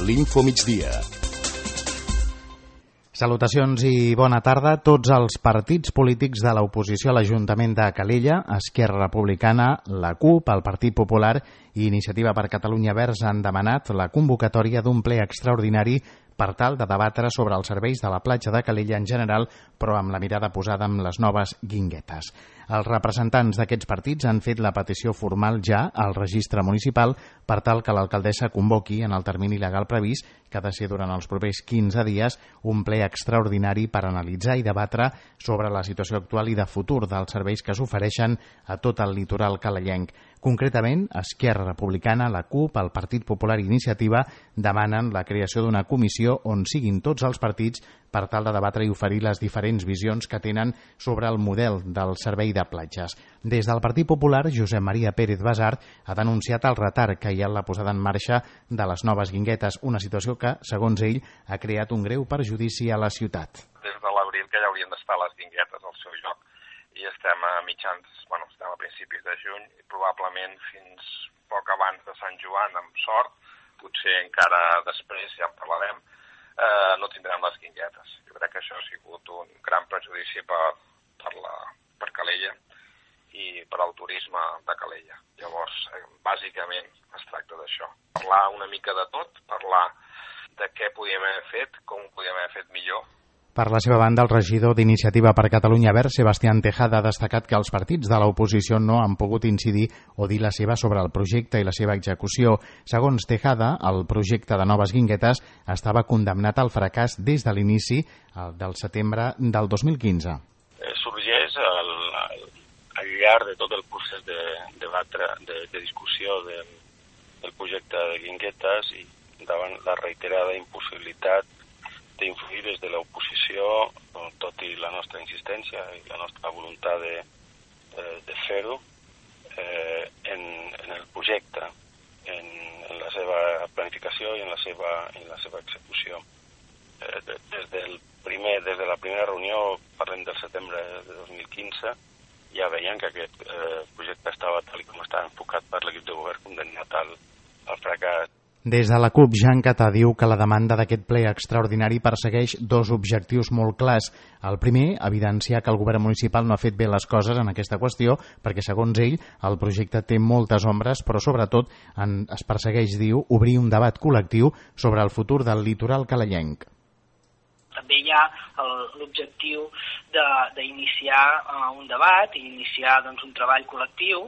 l'Infomigdia. Salutacions i bona tarda. Tots els partits polítics de l'oposició a l'Ajuntament de Calella, Esquerra Republicana, la CUP, el Partit Popular i Iniciativa per Catalunya Verds han demanat la convocatòria d'un ple extraordinari per tal de debatre sobre els serveis de la platja de Calella en general, però amb la mirada posada en les noves guinguetes. Els representants d'aquests partits han fet la petició formal ja al registre municipal per tal que l'alcaldessa convoqui en el termini legal previst, que ha de ser durant els propers 15 dies, un ple extraordinari per analitzar i debatre sobre la situació actual i de futur dels serveis que s'ofereixen a tot el litoral calellenc. Concretament, Esquerra Republicana, la CUP, el Partit Popular i Iniciativa demanen la creació d'una comissió on siguin tots els partits per tal de debatre i oferir les diferents visions que tenen sobre el model del servei de platges. Des del Partit Popular, Josep Maria Pérez Basart ha denunciat el retard que hi ha en la posada en marxa de les noves guinguetes, una situació que, segons ell, ha creat un greu perjudici a la ciutat. Des de l'abril que ja haurien d'estar les guinguetes al seu lloc i estem a estem a principis de juny i probablement fins poc abans de Sant Joan, amb sort, potser encara després, ja en parlarem, no tindrem les guinguetes. Jo crec que això ha sigut un gran perjudici per Calella i per al turisme de Calella. Llavors, bàsicament es tracta d'això. Parlar una mica de tot, parlar de què podíem haver fet, com ho podíem haver fet millor. Per la seva banda, el regidor d'Iniciativa per Catalunya Verds, Sebastián Tejada, ha destacat que els partits de l'oposició no han pogut incidir o dir la seva sobre el projecte i la seva execució. Segons Tejada, el projecte de noves guinguetes estava condemnat al fracàs des de l'inici del setembre del 2015. Sorgeix al llarg de tot el procés de discussió del projecte de guinguetes i davant la reiterada impossibilitat d'influir des de l'oposició, tot i la nostra insistència i la nostra voluntat de fer-ho, en el projecte, en la seva planificació i en la seva execució. Des de la primera reunió, parlem del setembre de 2015, ja veiem que aquest projecte estava tal com estava enfocat per l'equip de govern condemnat al fracàs. Des de la CUP, Jean Catà diu que la demanda d'aquest ple extraordinari persegueix dos objectius molt clars. El primer, evidenciar que el govern municipal no ha fet bé les coses en aquesta qüestió, perquè, segons ell, el projecte té moltes ombres, però sobretot es persegueix, diu, obrir un debat col·lectiu sobre el futur del litoral calellenc. També hi ha l'objectiu d'iniciar un debat i iniciar un treball col·lectiu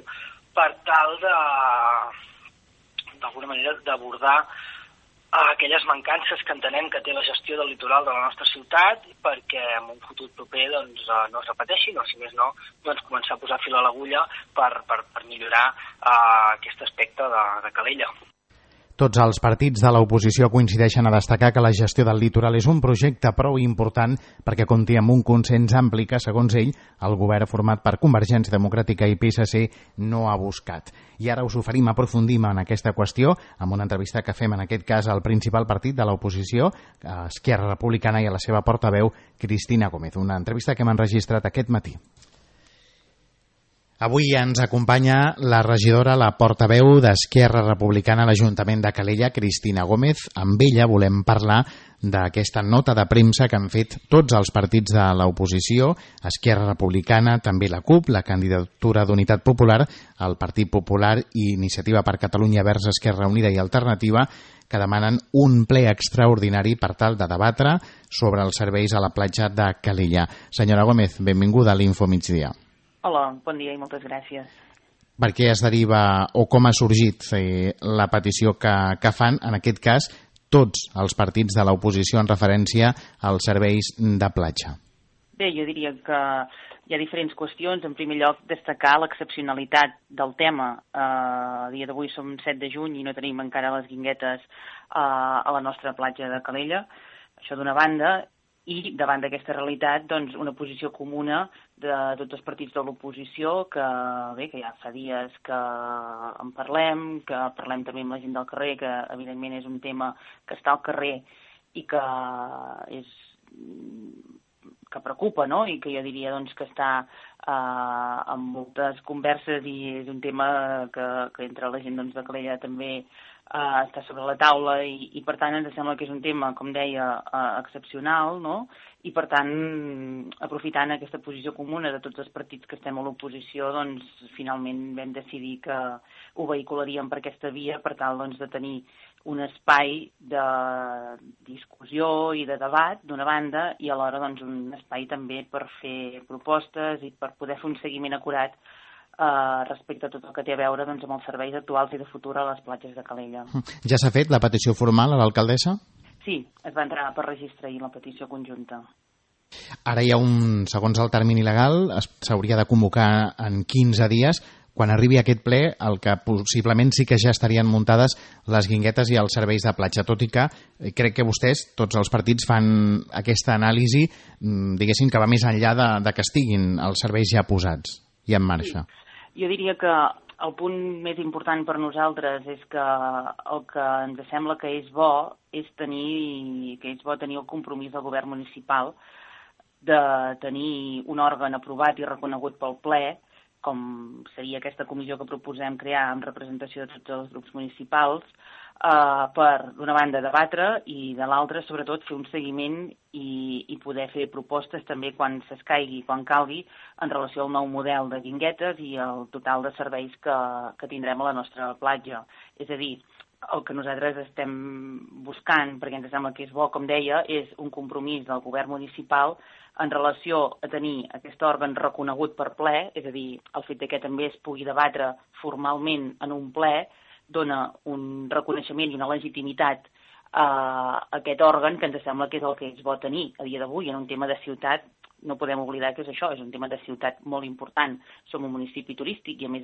per tal d'alguna manera d'abordar aquelles mancances que entenem que té la gestió del litoral de la nostra ciutat perquè en un futur proper no es repeteixin o, si més no, començar a posar fil a l'agulla per millorar aquest aspecte de Calella. Tots els partits de l'oposició coincideixen a destacar que la gestió del litoral és un projecte prou important perquè compti amb un consens ampli que, segons ell, el govern format per Convergència Democràtica i PSC no ha buscat. I ara us oferim aprofundim en aquesta qüestió amb una entrevista que fem en aquest cas al principal partit de l'oposició, Esquerra Republicana, i a la seva portaveu, Cristina Gómez. Una entrevista que hem enregistrat aquest matí. Avui ens acompanya la regidora, la portaveu d'Esquerra Republicana a l'Ajuntament de Calella, Cristina Gómez. Amb ella volem parlar d'aquesta nota de premsa que han fet tots els partits de l'oposició, Esquerra Republicana, també la CUP, la candidatura d'Unitat Popular, el Partit Popular i Iniciativa per Catalunya Verds, Esquerra Unida i Alternativa, que demanen un ple extraordinari per tal de debatre sobre els serveis a la platja de Calella. Senyora Gómez, benvinguda a l'Infomigdia. Hola, bon dia i moltes gràcies. Per què es deriva o com ha sorgit la petició que fan, en aquest cas, tots els partits de l'oposició en referència als serveis de platja? Bé, jo diria que hi ha diferents qüestions. En primer lloc, destacar l'excepcionalitat del tema. A dia d'avui som 7 de juny i no tenim encara les guinguetes a la nostra platja de Calella. Això d'una banda. I davant d'aquesta realitat, doncs, una posició comuna de tots els partits de l'oposició que ja fa dies que en parlem també amb la gent del carrer, que evidentment és un tema que està al carrer i que preocupa, no? I que jo diria doncs, que està amb moltes converses, i és un tema que entre la gent de Calella també està sobre la taula, i per tant ens sembla que és un tema, com deia, excepcional, no? I per tant, aprofitant aquesta posició comuna de tots els partits que estem a l'oposició, doncs finalment vam decidir que ho vehicularíem per aquesta via per tal de tenir un espai de discussió i de debat d'una banda, i alhora un espai també per fer propostes i per poder fer un seguiment acurat respecte a tot el que té a veure amb els serveis actuals i de futur a les platges de Calella. Ja s'ha fet la petició formal a l'alcaldessa? Sí, es va entrar per registre ahir la petició conjunta. Ara hi ha segons el termini legal, s'hauria de convocar en 15 dies. Quan arribi aquest ple, el que possiblement sí que ja estarien muntades les guinguetes i els serveis de platja, tot i que crec que vostès, tots els partits, fan aquesta anàlisi, diguéssim, que va més enllà de que estiguin els serveis ja posats i en marxa. Jo diria que el punt més important per nosaltres és que el que ens sembla que és bo és tenir el compromís del govern municipal de tenir un òrgan aprovat i reconegut pel ple, com seria aquesta comissió que proposem crear amb representació de tots els grups municipals, per, d'una banda, debatre i, de l'altra, sobretot, fer un seguiment i poder fer propostes també quan s'escaigui, quan calgui, en relació al nou model de guinguetes i el total de serveis que tindrem a la nostra platja. És a dir, el que nosaltres estem buscant, perquè ens sembla que és bo, com deia, és un compromís del govern municipal en relació a tenir aquest òrgan reconegut per ple, és a dir, el fet que també es pugui debatre formalment en un ple dona un reconeixement i una legitimitat a aquest òrgan, que ens sembla que és el que és bo tenir a dia d'avui en un tema de ciutat. No podem oblidar que és això, és un tema de ciutat molt important. Som un municipi turístic i, a més,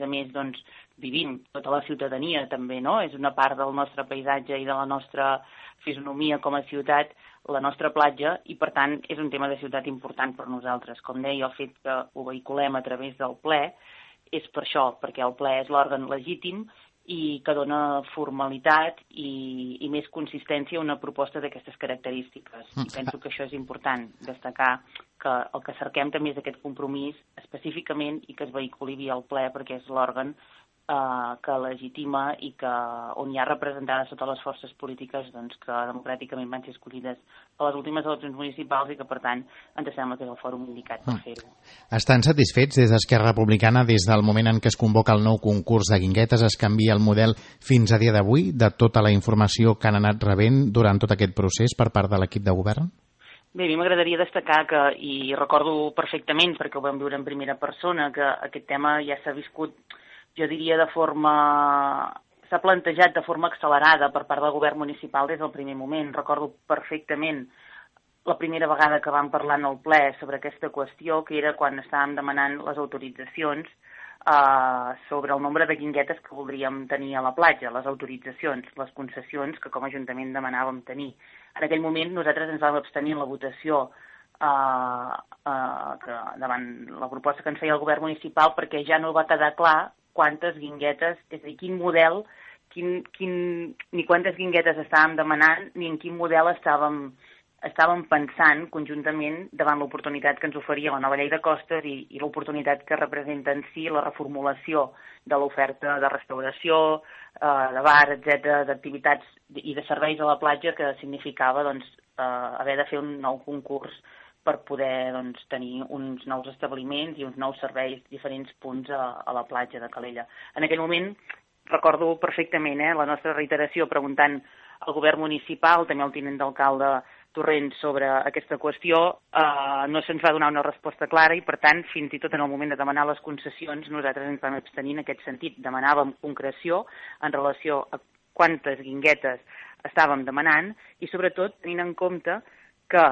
vivim tota la ciutadania també, no? És una part del nostre paisatge i de la nostra fisonomia com a ciutat, la nostra platja, i, per tant, és un tema de ciutat important per nosaltres. Com deia, el fet que ho vehiculem a través del ple és per això, perquè el ple és l'òrgan legítim i que dona formalitat i més consistència a una proposta d'aquestes característiques. I penso que això és important, destacar que el que cerquem també és aquest compromís específicament i que es vehiculi via el ple, perquè és l'òrgan que legitima i on hi ha representades totes les forces polítiques que democràticament van ser escollides a les últimes eleccions municipals i que, per tant, ens sembla que és el fòrum indicat per fer-ho. Estan satisfets des d'Esquerra Republicana des del moment en què es convoca el nou concurs de guinguetes, es canvia el model fins a dia d'avui de tota la informació que han anat rebent durant tot aquest procés per part de l'equip de govern? Bé, a mi m'agradaria destacar que, i recordo perfectament perquè ho vam viure en primera persona, que aquest tema ja s'ha viscut, jo diria, s'ha plantejat de forma accelerada per part del govern municipal des del primer moment. Recordo perfectament la primera vegada que vam parlar en el ple sobre aquesta qüestió, que era quan estàvem demanant les autoritzacions sobre el nombre de guinguetes que voldríem tenir a la platja, les autoritzacions, les concessions que com a Ajuntament demanàvem tenir. En aquell moment nosaltres ens vam abstenir en la votació davant la proposta que ens feia el govern municipal, perquè ja no va quedar clar quantes guinguetes, és a dir, quin model, ni quantes guinguetes estàvem demanant, ni en quin model estàvem pensant conjuntament davant l'oportunitat que ens oferia la nova llei de costes i l'oportunitat que representa en si la reformulació de l'oferta de restauració, de bar, etc., d'activitats i de serveis a la platja, que significava haver de fer un nou concurs per poder tenir uns nous establiments i uns nous serveis, diferents punts a la platja de Calella. En aquell moment, recordo perfectament la nostra reiteració preguntant al govern municipal, també al tinent d'alcalde Torrent, sobre aquesta qüestió, no se'ns va donar una resposta clara i, per tant, fins i tot en el moment de demanar les concessions, nosaltres ens vam abstenir en aquest sentit. Demanàvem concreció en relació a quantes guinguetes estàvem demanant i, sobretot, tenint en compte que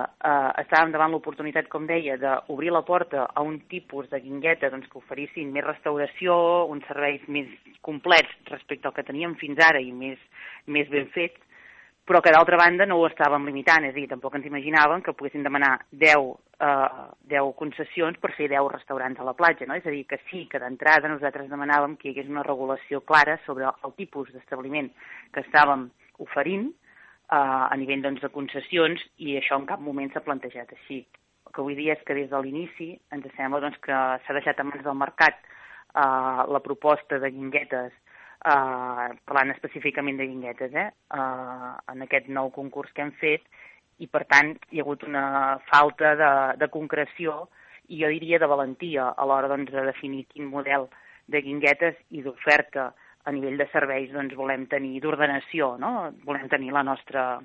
estàvem davant l'oportunitat, com deia, d'obrir la porta a un tipus de guingueta que oferissin més restauració, uns serveis més complets respecte al que teníem fins ara i més ben fets, però que d'altra banda no ho estàvem limitant, és a dir, tampoc ens imaginàvem que poguessin demanar 10 concessions per fer 10 restaurants a la platja, no? És a dir, que sí, que d'entrada nosaltres demanàvem que hi hagués una regulació clara sobre el tipus d'establiment que estàvem oferint a nivell de concessions, i això en cap moment s'ha plantejat així. que vull dir és que des de l'inici ens sembla doncs, que s'ha deixat en mans del mercat la proposta de guinguetes, parlant específicament de guinguetes, en aquest nou concurs que hem fet, i per tant hi ha hagut una falta de concreció i jo diria de valentia a l'hora doncs, de definir quin model de guinguetes i d'oferta a nivell de serveis doncs, volem tenir, d'ordenació, no? Volem tenir a la nostra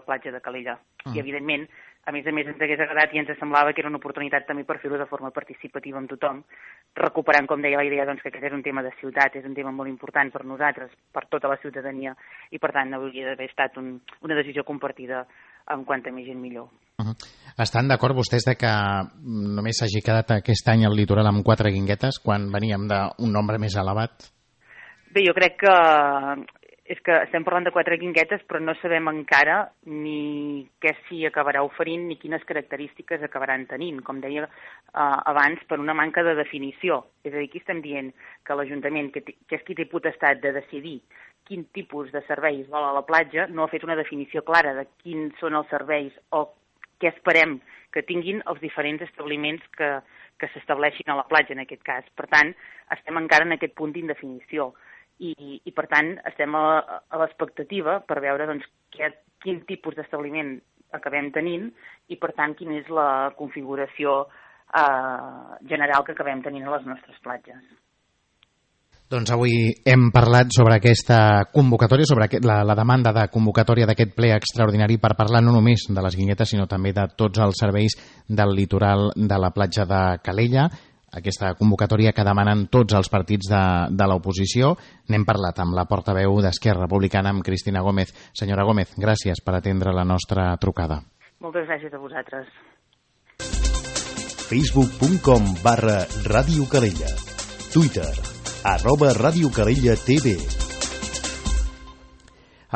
platja de Calella. I evidentment, a més ens hagués agradat i ens semblava que era una oportunitat també per fer-ho de forma participativa amb tothom, recuperant, com deia, la idea doncs, que aquest és un tema de ciutat, és un tema molt important per nosaltres, per tota la ciutadania, i per tant hauria d'haver estat una decisió compartida amb quanta més gent millor. Estan d'acord vostès de que només s'hagi quedat aquest any al litoral amb 4 guinguetes quan veníem d'un nombre més elevat? Bé, jo crec que és que estem parlant de 4 guinguetes, però no sabem encara ni què s'hi acabarà oferint ni quines característiques acabaran tenint, com deia abans, per una manca de definició. És a dir, aquí estem dient que l'Ajuntament, que és qui té potestat de decidir quin tipus de serveis vol a la platja, no ha fet una definició clara de quins són els serveis o què esperem que tinguin els diferents establiments que s'estableixin a la platja, en aquest cas. Per tant, estem encara en aquest punt d'indefinició. I per tant estem a l'expectativa per veure doncs, quin tipus d'establiment acabem tenint i per tant quina és la configuració general que acabem tenint a les nostres platges. Doncs avui hem parlat sobre aquesta convocatòria, sobre la demanda de convocatòria d'aquest ple extraordinari per parlar no només de les guinguetes sinó també de tots els serveis del litoral de la platja de Calella. Aquesta convocatòria que demanen tots els partits de l'oposició. N'hem parlat amb la portaveu d'Esquerra Republicana, amb Cristina Gómez. Senyora Gómez, gràcies per atendre la nostra trucada. Moltes gràcies a vosaltres. Facebook.com/Ràdio Calella. Twitter, @Ràdio Calella TV.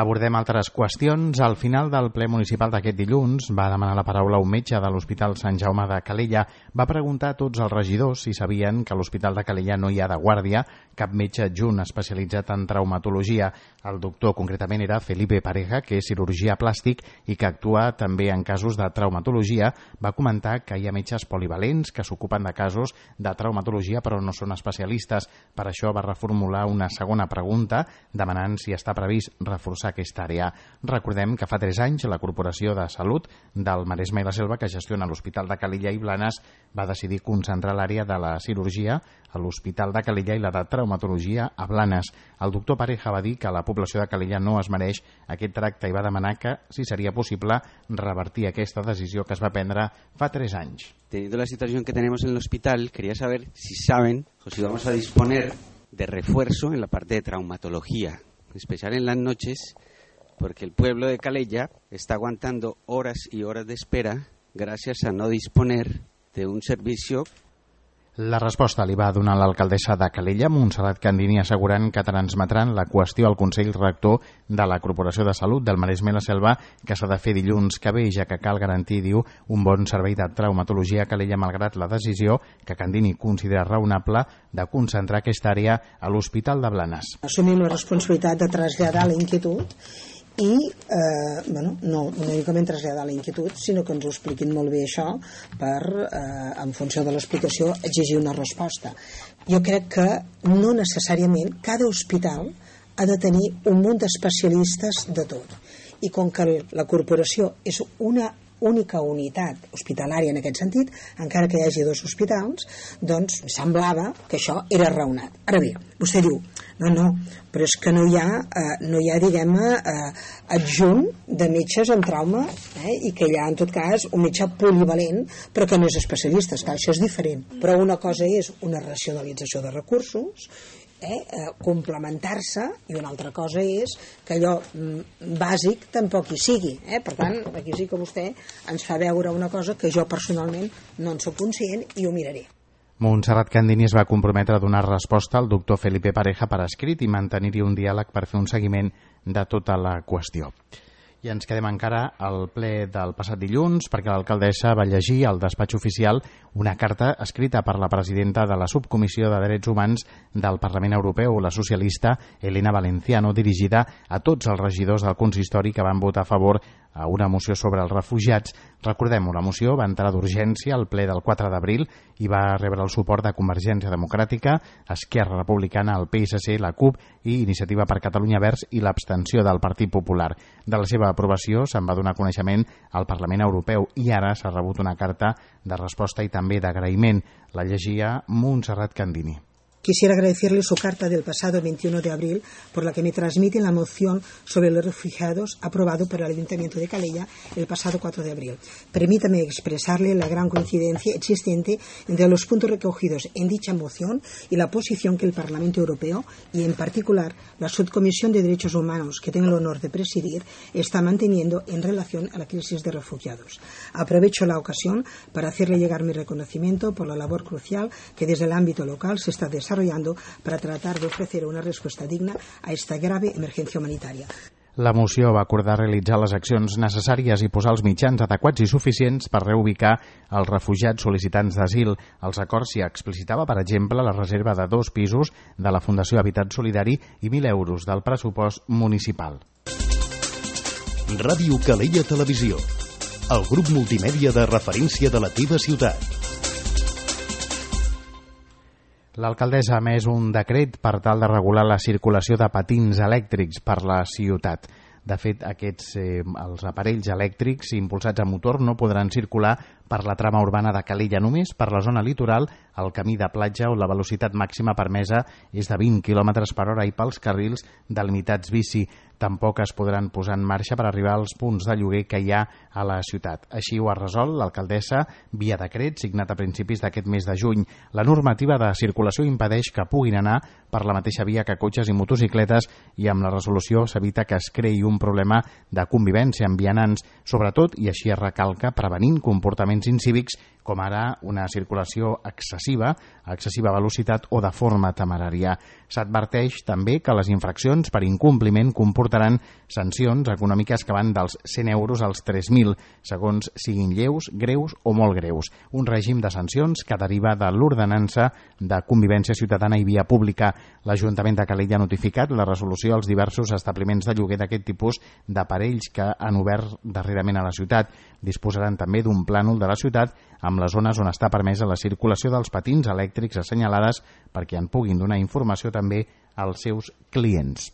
Abordem altres qüestions. Al final del ple municipal d'aquest dilluns va demanar la paraula un metge de l'Hospital Sant Jaume de Calella. Va preguntar a tots els regidors si sabien que a l'Hospital de Calella no hi ha de guàrdia cap metge adjunt especialitzat en traumatologia. El doctor concretament era Felipe Pareja, que és cirurgià plàstic i que actua també en casos de traumatologia. Va comentar que hi ha metges polivalents que s'ocupen de casos de traumatologia però no són especialistes. Per això va reformular una segona pregunta demanant si està previst reforçar aquesta àrea. Recordem que fa 3 anys la Corporació de Salut del Maresme i la Selva, que gestiona l'Hospital de Calella i Blanes, va decidir concentrar l'àrea de la cirurgia a l'Hospital de Calella i la de traumatologia a Blanes. El doctor Pareja va dir que la població de Calella no es mereix aquest tracte i va demanar que, si seria possible, revertir aquesta decisió que es va prendre fa 3 anys. Teniendo la situación que tenemos en el hospital, quería saber si saben o si vamos a disponer de refuerzo en la parte de traumatología, en especial en las noches, porque el pueblo de Calella está aguantando horas y horas de espera gracias a no disponer de un servicio. La resposta li va donar l'alcaldessa de Calella, Montserrat Candini, assegurant que transmetran la qüestió al Consell Rector de la Corporació de Salut del Maresme i la Selva, que s'ha de fer dilluns que ve, ja que cal garantir, diu, un bon servei de traumatologia a Calella, malgrat la decisió que Candini considera raonable de concentrar aquesta àrea a l'Hospital de Blanes. Assumim la responsabilitat de traslladar la inquietud i no únicament traslladar la inquietud, sinó que ens ho expliquin molt bé això per, en funció de l'explicació, exigir una resposta. Jo crec que no necessàriament cada hospital ha de tenir un munt d'especialistes de tot, i com que la corporació és una única unitat hospitalària en aquest sentit, encara que hi hagi 2 hospitals, doncs semblava que això era raonat. Ara bé, vostè diu, no, però és que no hi ha diguem-ne, adjunt de metges en trauma, i que hi ha, en tot cas, un metge polivalent, però que no és especialista, clar, això és diferent. Però una cosa és una racionalització de recursos, complementar-se, i una altra cosa és que allò bàsic tampoc hi sigui. Per tant, aquí sí que vostè ens fa veure una cosa que jo personalment no en soc conscient i ho miraré. Montserrat Candini es va comprometre a donar resposta al doctor Felipe Pareja per escrit i mantenir-hi un diàleg per fer un seguiment de tota la qüestió. I ens quedem encara al ple del passat dilluns perquè l'alcaldessa va llegir al despatx oficial una carta escrita per la presidenta de la Subcomissió de Drets Humans del Parlament Europeu, la socialista Elena Valenciano, dirigida a tots els regidors del consistori que van votar a favor a una moció sobre els refugiats. Recordem-ho, la moció va entrar d'urgència al ple del 4 d'abril i va rebre el suport de Convergència Democràtica, Esquerra Republicana, el PSC, la CUP i Iniciativa per Catalunya Verds i l'abstenció del Partit Popular. De la seva aprovació se'n va donar coneixement al Parlament Europeu i ara s'ha rebut una carta de resposta i també d'agraïment. La llegia Montserrat Candini. Quisiera agradecerle su carta del pasado 21 de abril por la que me transmiten la moción sobre los refugiados aprobado por el Ayuntamiento de Calella el pasado 4 de abril. Permítame expresarle la gran coincidencia existente entre los puntos recogidos en dicha moción y la posición que el Parlamento Europeo y en particular la Subcomisión de Derechos Humanos que tengo el honor de presidir está manteniendo en relación a la crisis de refugiados. Aprovecho la ocasión para hacerle llegar mi reconocimiento por la labor crucial que desde el ámbito local se está desarrollando para tratar de ofrecer una respuesta digna a esta grave emergencia humanitaria. La moció va acordar realitzar les accions necessàries i posar els mitjans adequats i suficients per reubicar els refugiats sol·licitants d'asil. Els acords s'hi explicitava, per exemple, la reserva de 2 pisos de la Fundació Habitat Solidari i 1.000 euros del pressupost municipal. Ràdio Calella Televisió, el grup multimèdia de referència de la teva ciutat. L'alcaldessa ha emès un decret per tal de regular la circulació de patins elèctrics per la ciutat. De fet, els aparells elèctrics impulsats a motor no podran circular per la trama urbana de Calella, només per la zona litoral, el camí de platja on la velocitat màxima permesa és de 20 km per hora i pels carrils delimitats bici. Tampoc es podran posar en marxa per arribar als punts de lloguer que hi ha a la ciutat. Així ho ha resolt l'alcaldessa via decret signat a principis d'aquest mes de juny. La normativa de circulació impedeix que puguin anar per la mateixa via que cotxes i motocicletes i amb la resolució s'evita que es creï un problema de convivència amb vianants, sobretot, i així es recalca, prevenint comportaments incívics com ara una circulació excessiva, a excessiva velocitat o de forma temerària. S'adverteix també que les infraccions per incompliment comportaran sancions econòmiques que van dels 100 euros als 3.000, segons siguin lleus, greus o molt greus. Un règim de sancions que deriva de l'ordenança de convivència ciutadana i via pública. L'Ajuntament de Calella ha notificat la resolució als diversos establiments de lloguer d'aquest tipus d'aparells que han obert darrerament a la ciutat. Disposaran també d'un plànol de la ciutat amb les zones on està permesa la circulació dels patins elèctrics assenyalades perquè en puguin donar informació també als seus clients.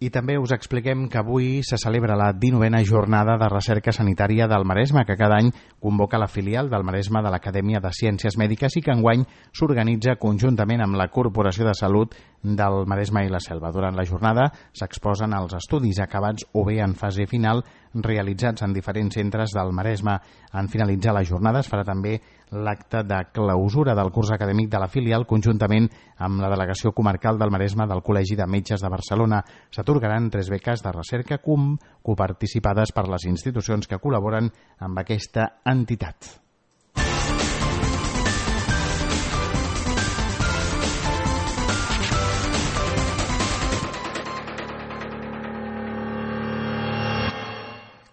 I també us expliquem que avui se celebra la 19a jornada de recerca sanitària del Maresme, que cada any convoca la filial del Maresme de l'Acadèmia de Ciències Mèdiques i que enguany s'organitza conjuntament amb la Corporació de Salut del Maresme i la Selva. Durant la jornada s'exposen els estudis acabats o bé en fase final realitzats en diferents centres del Maresme. En finalitzar la jornada es farà també l'acte de clausura del curs acadèmic de la filial conjuntament amb la Delegació Comarcal del Maresme del Col·legi de Metges de Barcelona. S'atorgaran 3 beques de recerca coparticipades per les institucions que col·laboren amb aquesta entitat.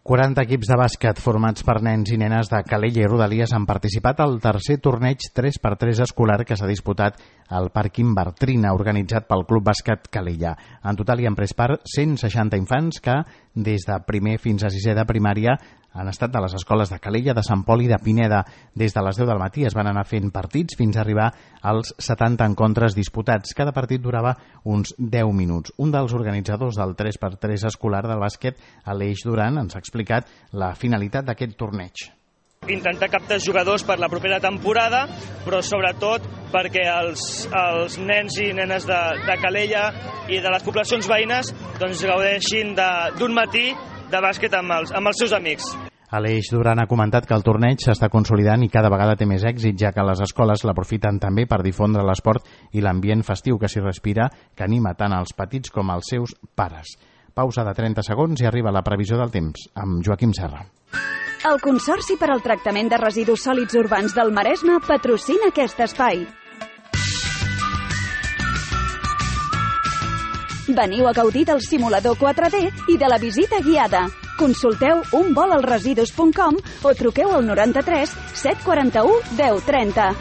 ...40 equips de bàsquet formats per nens i nenes de Calella i Rodalies han participat al tercer torneig 3x3 escolar que s'ha disputat al Pàrquing Bartrina, organitzat pel Club Bàsquet Calella. En total hi han pres part 160 infants que, des de primer fins a 6è de primària, han estat de les escoles de Calella, de Sant Pol i de Pineda. Des de les 10 del matí es van anar fent partits fins a arribar als 70 encontres disputats. Cada partit durava uns 10 minuts. Un dels organitzadors del 3x3 escolar del bàsquet, Aleix Duran, ens ha explicat la finalitat d'aquest torneig. Intentar captar jugadors per la propera temporada, però sobretot perquè els nens i nenes de Calella i de les poblacions veïnes doncs gaudeixin d'un matí de bàsquet amb els seus amics. Aleix Duran ha comentat que el torneig s'està consolidant i cada vegada té més èxit, ja que les escoles l'aprofiten també per difondre l'esport i l'ambient festiu que s'hi respira, que anima tant als petits com als seus pares. Pausa de 30 segons i arriba la previsió del temps, amb Joaquim Serra. El Consorci per al Tractament de Residus Sòlids Urbans del Maresme patrocina aquest espai. Veniu a gaudir del simulador 4D i de la visita guiada. Consulteu unvolalresidus.com o truqueu al 93 741 1030.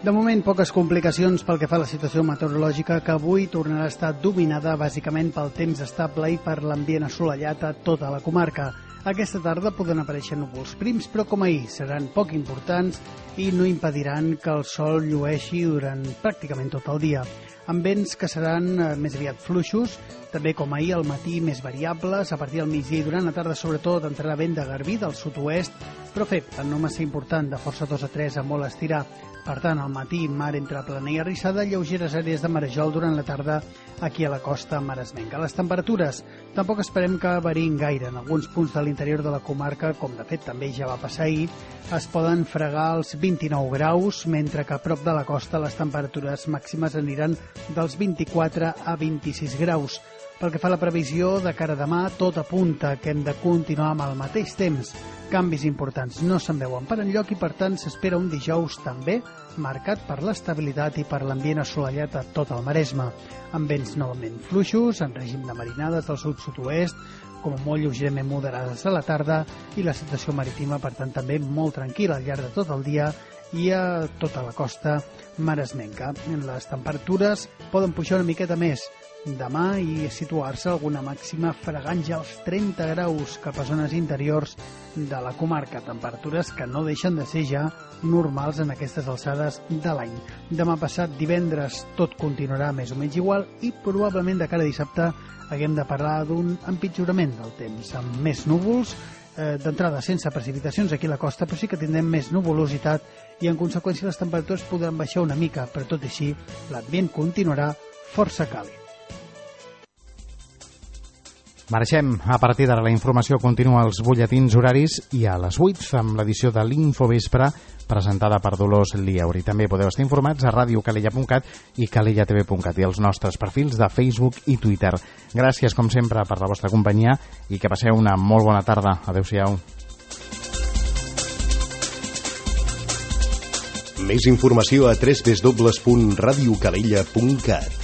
De moment, poques complicacions pel que fa a la situació meteorològica, que avui tornarà a estar dominada bàsicament pel temps estable i per l'ambient assolellat a tota la comarca. Aquesta tarda poden aparèixer núvols prims, però com ahir seran poc importants i no impediran que el sol llueixi durant pràcticament tot el dia. Amb vents que seran més aviat fluixos, també com ahir al matí més variables, a partir del migdia i durant la tarda sobretot entrarà vent de garbí del sud-oest, però feble, no massa important, de força 2 a 3 a molt estirar. Per tant, al matí, mar entre plana i arrissada, lleugeres àrees de marejol durant la tarda aquí a la costa maresmenca. Les temperatures tampoc esperem que variïn gaire. En alguns punts de l'interior de la comarca, com de fet també ja va passar ahir, es poden fregar els 29 graus, mentre que a prop de la costa les temperatures màximes aniran dels 24 a 26 graus. Pel que fa a la previsió, de cara a demà, tot apunta que hem de continuar amb el mateix temps. Canvis importants no se'n veuen per enlloc i, per tant, s'espera un dijous també marcat per l'estabilitat i per l'ambient assolellat a tot el Maresme, amb vents novament fluixos, en règim de marinades del sud-sud-oest, com a molt lleugerament moderades a la tarda, i la situació marítima, per tant, també molt tranquil·la al llarg de tot el dia i a tota la costa maresmenca. Les temperatures poden pujar una miqueta més demà i situar-se alguna màxima fregant ja els 30 graus cap a zones interiors de la comarca, temperatures que no deixen de ser ja normals en aquestes alçades de l'any. Demà passat, divendres, tot continuarà més o menys igual i probablement de cara a dissabte haguem de parlar d'un empitjorament del temps, amb més núvols, d'entrada sense precipitacions aquí a la costa, però sí que tindrem més nuvolositat i en conseqüència les temperatures podran baixar una mica, però tot i així l'ambient continuarà força càlid. Marxem. A partir d'ara la informació continua als butlletins horaris i a les 8 amb l'edició de l'Infovespre presentada per Dolors Lieuri. També podeu estar informats a radiocalella.cat i calellatv.cat i els nostres perfils de Facebook i Twitter. Gràcies, com sempre, per la vostra companyia i que passeu una molt bona tarda. Adéu-siau. Més informació a www.radiocalella.cat.